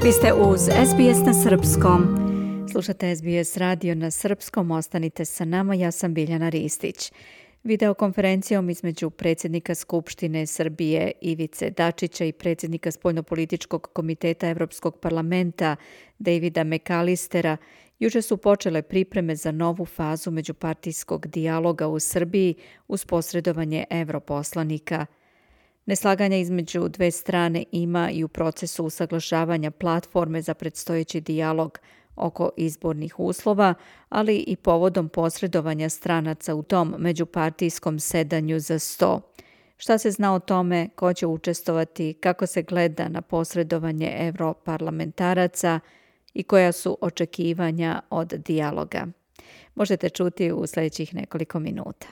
Vi ste uz SBS na srpskom. Slušate SBS radio na srpskom, ostanite sa nama, ja sam Biljana Ristić. Videokonferencijom između predsjednika Skupštine Srbije Ivice Dačića i predsjednika Spoljnopolitičkog komiteta Evropskog parlamenta Davida McAllistera juče su počele pripreme za novu fazu međupartijskog dijaloga u Srbiji uz posredovanje europoslanika. Neslaganja između dve strane ima i u procesu usaglašavanja platforme za predstojeći dijalog oko izbornih uslova, ali i povodom posredovanja stranaca u tom međupartijskom sedanju za sto. Šta se zna o tome, ko će učestvovati, kako se gleda na posredovanje europarlamentaraca i koja su očekivanja od dijaloga? Možete čuti u sljedećih nekoliko minuta.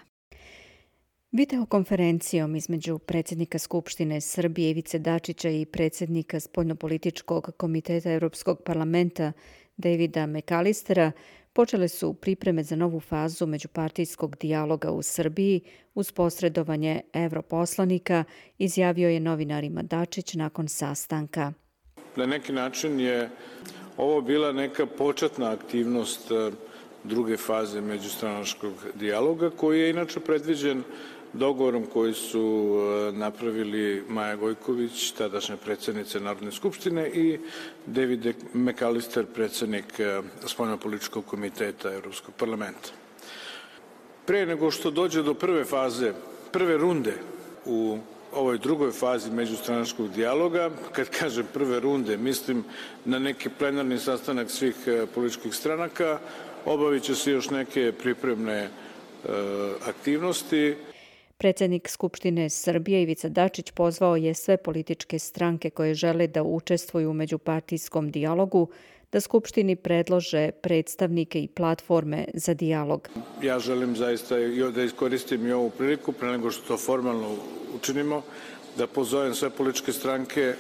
Videokonferencijom između predsjednika Skupštine Srbije Ivice Dačića i predsjednika Spoljnopolitičkog komiteta Europskog parlamenta Davida McAllistera počele su pripreme za novu fazu međupartijskog dijaloga u Srbiji uz posredovanje europoslanika, izjavio je novinarima Dačić nakon sastanka. Na neki način je ovo bila neka početna aktivnost druge faze međustranačkog dijaloga, koji je inače predviđen dogovorom koji su napravili Maja Gojković, tadašnja predsjednica Narodne skupštine, i David McAllister, predsjednik Spoljnopolitičkog komiteta Evropskog parlamenta. Pre nego što dođe do prve faze, prve runde u ovoj drugoj fazi međustranačkog dijaloga, kad kažem prve runde, mislim na neki plenarni sastanak svih političkih stranaka, obavit će se još neke pripremne aktivnosti. Predsjednik Skupštine Srbije Ivica Dačić pozvao je sve političke stranke koje žele da učestvuju u međupartijskom dijalogu da Skupštini predlože predstavnike i platforme za dijalog. Ja želim zaista da iskoristim i ovu priliku, pre nego što to formalno učinimo, da pozovem sve političke stranke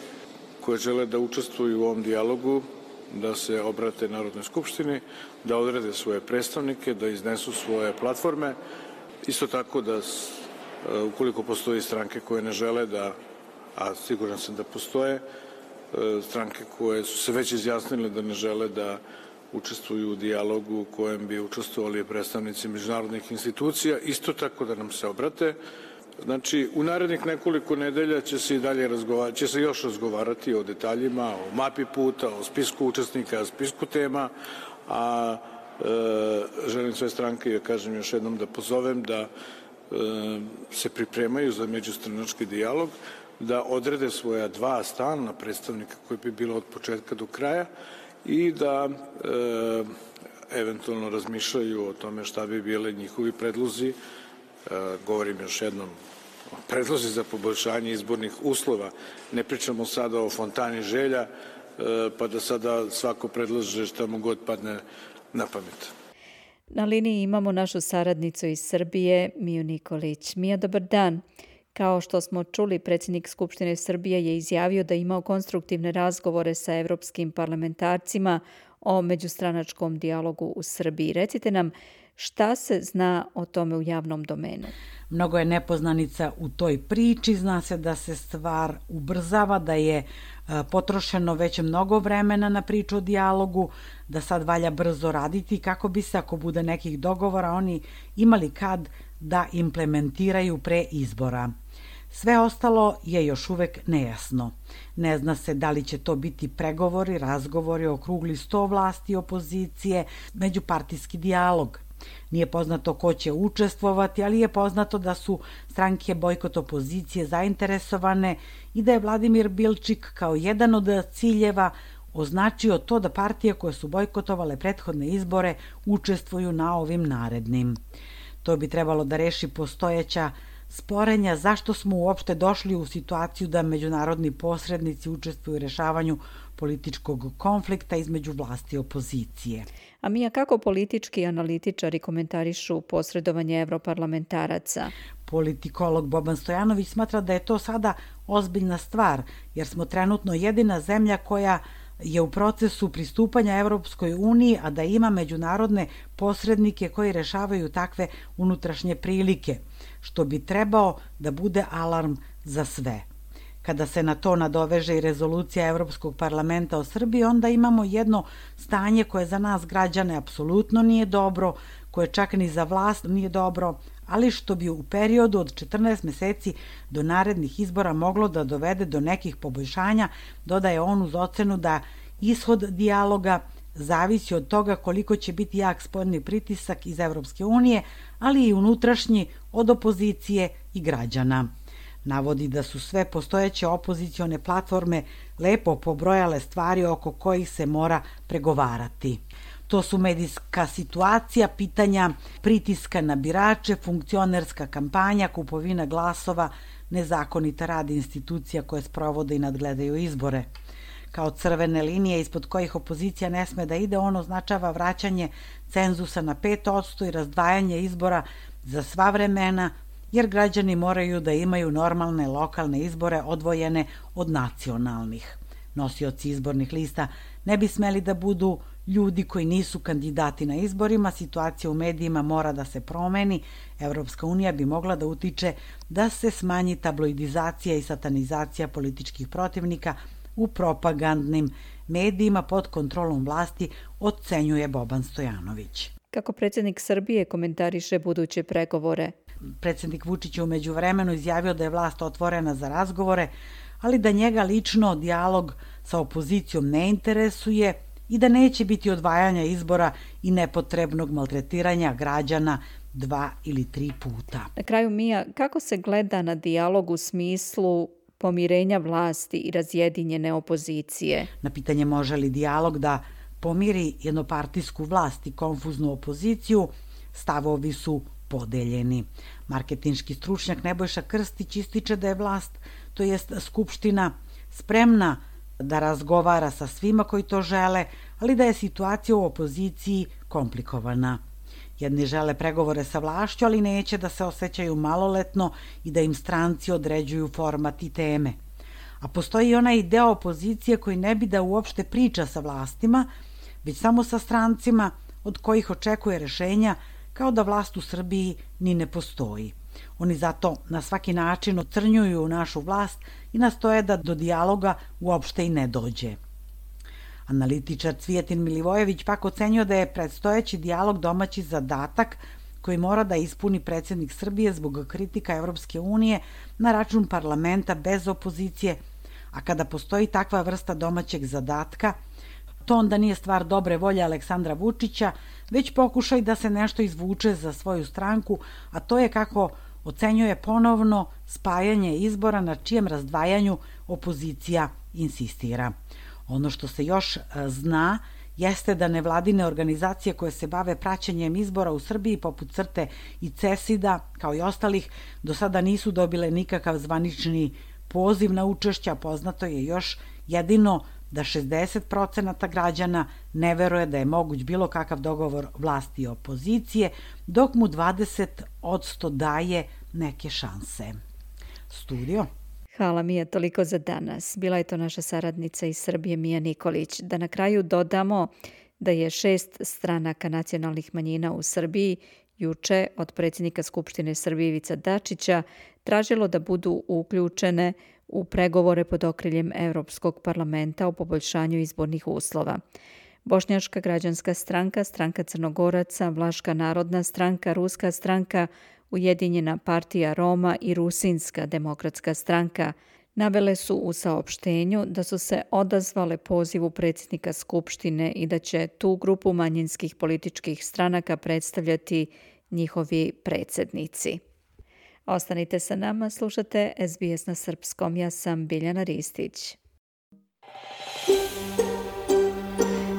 koje žele da učestvuju u ovom dijalogu, da se obrate Narodnoj skupštini, da odrede svoje predstavnike, da iznesu svoje platforme. Isto tako da ukoliko postoji stranke koje ne žele da, a siguran sam da postoje, stranke koje su se već izjasnile da ne žele da učestvuju u dijalogu u kojem bi učestvovali predstavnici međunarodnih institucija, isto tako da nam se obrate. Znači, u narednih nekoliko nedelja će se i dalje još razgovarati o detaljima, o mapi puta, o spisku učesnika, o spisku tema, a želim sve stranke, ja kažem još jednom, da pozovem da se pripremaju za međustranački dijalog, da odrede svoja dva stalna predstavnika koji bi bilo od početka do kraja i da eventualno razmišljaju o tome šta bi bile njihovi predlozi. Govorim još jednom, predlozi za poboljšanje izbornih uslova. Ne pričamo sada o fontani želja, pa da sada svako predlaže šta mu god padne na pamet. Na liniji imamo našu saradnicu iz Srbije, Miju Nikolić. Mija, dobar dan. Kao što smo čuli, predsjednik Skupštine Srbije je izjavio da je imao konstruktivne razgovore sa evropskim parlamentarcima o međustranačkom dijalogu u Srbiji. Recite nam, šta se zna o tome u javnom domenu? Mnogo je nepoznanica u toj priči, zna se da se stvar ubrzava, da je potrošeno već mnogo vremena na priču o dijalogu, da sad valja brzo raditi kako bi se, ako bude nekih dogovora, oni imali kad da implementiraju pre izbora. Sve ostalo je još uvek nejasno. Ne zna se da li će to biti pregovori, razgovori, okrugli sto vlasti, opozicije, međupartijski dijalog. Nije poznato ko će učestvovati, ali je poznato da su stranke bojkot opozicije zainteresovane i da je Vladimir Bilčik kao jedan od ciljeva označio to da partije koje su bojkotovale prethodne izbore učestvuju na ovim narednim. To bi trebalo da reši postojeća sporenja zašto smo uopšte došli u situaciju da međunarodni posrednici učestvuju u rešavanju političkog konflikta između vlasti i opozicije. A Mija, kako politički analitičari komentarišu posredovanje evroparlamentaraca? Politikolog Boban Stojanović smatra da je to sada ozbiljna stvar, jer smo trenutno jedina zemlja koja je u procesu pristupanja Evropskoj uniji, a da ima međunarodne posrednike koji rešavaju takve unutrašnje prilike, što bi trebao da bude alarm za sve. kada se na to nadoveže i rezolucija Evropskog parlamenta o Srbiji, onda imamo jedno stanje koje za nas građane apsolutno nije dobro, koje čak ni za vlast nije dobro, ali što bi u periodu od 14 meseci do narednih izbora moglo da dovede do nekih poboljšanja, dodaje on uz ocenu da ishod dijaloga zavisi od toga koliko će biti jak spoljni pritisak iz Evropske unije, ali i unutrašnji od opozicije i građana. Navodi da su sve postojeće opozicione platforme lepo pobrojale stvari oko kojih se mora pregovarati. To su medijska situacija, pitanja pritiska na birače, funkcionerska kampanja, kupovina glasova, nezakonita rad institucija koje sprovode i nadgledaju izbore. Kao crvene linije ispod kojih opozicija ne sme da ide, on označava vraćanje cenzusa na 5% i razdvajanje izbora za sva vremena, jer građani moraju da imaju normalne lokalne izbore odvojene od nacionalnih. Nosioci izbornih lista ne bi smeli da budu ljudi koji nisu kandidati na izborima, situacija u medijima mora da se promeni, Evropska unija bi mogla da utiče da se smanji tabloidizacija i satanizacija političkih protivnika u propagandnim medijima pod kontrolom vlasti, ocenjuje Boban Stojanović. Kako predsjednik Srbije komentariše buduće pregovore? Predsjednik Vučić je u međuvremenu izjavio da je vlast otvorena za razgovore, ali da njega lično dijalog sa opozicijom ne interesuje i da neće biti odvajanja izbora i nepotrebnog maltretiranja građana 2 ili 3 puta. Na kraju, Mija, kako se gleda na dijalog u smislu pomirenja vlasti i razjedinjene opozicije? Na pitanje može li dijalog da pomiri jednopartijsku vlast i konfuznu opoziciju, stavovi su podeljeni. Marketinški stručnjak Nebojša Krstić ističe da je vlast, to jest Skupština, spremna da razgovara sa svima koji to žele, ali da je situacija u opoziciji komplikovana. Jedni žele pregovore sa vlašću, ali neće da se osjećaju maloletno i da im stranci određuju format i teme. A postoji onaj deo opozicije koji ne bi da uopšte priča sa vlastima, već samo sa strancima od kojih očekuje rešenja, kao da vlast u Srbiji ni ne postoji. Oni zato na svaki način ocrnjuju našu vlast i nastoje da do dijaloga uopšte i ne dođe. Analitičar Cvijetin Milivojević pak ocenjuje da je predstojeći dijalog domaći zadatak koji mora da ispuni predsjednik Srbije zbog kritika Evropske unije na račun parlamenta bez opozicije, a kada postoji takva vrsta domaćeg zadatka, to onda nije stvar dobre volje Aleksandra Vučića, već pokušaj da se nešto izvuče za svoju stranku, a to je, kako ocenjuje, ponovno spajanje izbora na čijem razdvajanju opozicija insistira. Ono što se još zna jeste da nevladine organizacije koje se bave praćenjem izbora u Srbiji poput CRTE i CESID-a, kao i ostalih, do sada nisu dobile nikakav zvanični poziv na učešća. Poznato je još jedino da 60% građana ne veruje da je moguć bilo kakav dogovor vlasti i opozicije, dok mu 20% daje neke šanse. Studio. Hvala, Mija, toliko za danas. Bila je to naša saradnica iz Srbije, Mija Nikolić. Da na kraju dodamo da je 6 stranaka nacionalnih manjina u Srbiji juče od predsjednika Skupštine Srbije Ivice Dačića tražilo da budu uključene u pregovore pod okriljem Evropskog parlamenta o poboljšanju izbornih uslova. Bošnjačka građanska stranka, Stranka Crnogoraca, Vlaška narodna stranka, Ruska stranka, Ujedinjena partija Roma i Rusinska demokratska stranka navele su u saopštenju da su se odazvale pozivu predsjednika Skupštine i da će tu grupu manjinskih političkih stranaka predstavljati njihovi predsjednici. Ostanite sa nama, slušate SBS na srpskom. Ja sam Biljana Ristić.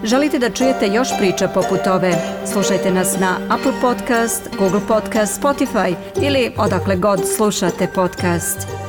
Želite da čujete još priča poput ove? Slušajte nas na Apple Podcast, Google Podcast, Spotify ili odakle god slušate podcast.